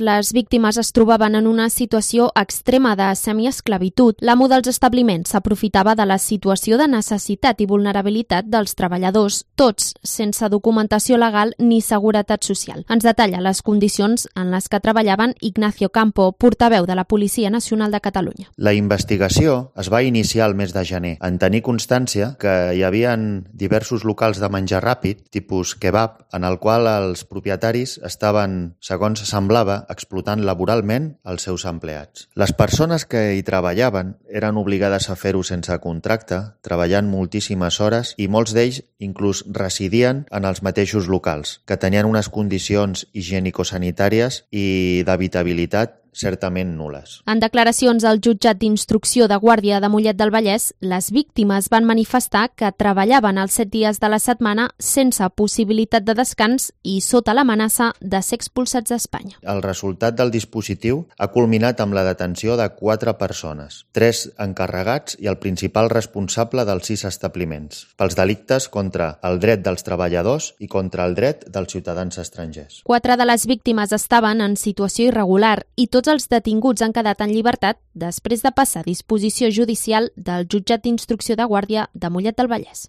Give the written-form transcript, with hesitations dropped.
les víctimes es trobaven en una situació extrema de semiesclavitud, l'amo dels establiments s'aprofitava de la situació de necessitat i vulnerabilitat dels treballadors, tots sense documentació legal ni seguretat social. Ens detalla les condicions en les que treballaven Ignacio Campo, portaveu de la Policia Nacional de Catalunya. La investigació es va iniciar el mes de gener, en tenir constància que hi havia diversos locals de menjar ràpid, tipus kebab, en el qual els propietaris estaven, segons semblava, explotant laboralment els seus empleats. Les persones que hi treballaven eren obligades a fer-ho sense contracte, treballant moltíssimes hores, i molts d'ells inclús residien en els mateixos locals, que tenien unes condicions higienicosanitàries i d'habitabilitat certament nules. En declaracions al jutjat d'instrucció de Guàrdia de Mollet del Vallès, les víctimes van manifestar que treballaven els 7 dies de la setmana sense possibilitat de descans i sota l'amenaça de ser expulsats d'Espanya. El resultat del dispositiu ha culminat amb la detenció de 4 persones, 3 encarregats i el principal responsable dels 6 establiments, pels delictes contra el dret dels treballadors i contra el dret dels ciutadans estrangers. 4 de les víctimes estaven en situació irregular i tots els detinguts han quedat en llibertat després de passar a disposició judicial del jutjat d'instrucció de Guàrdia de Mollet del Vallès.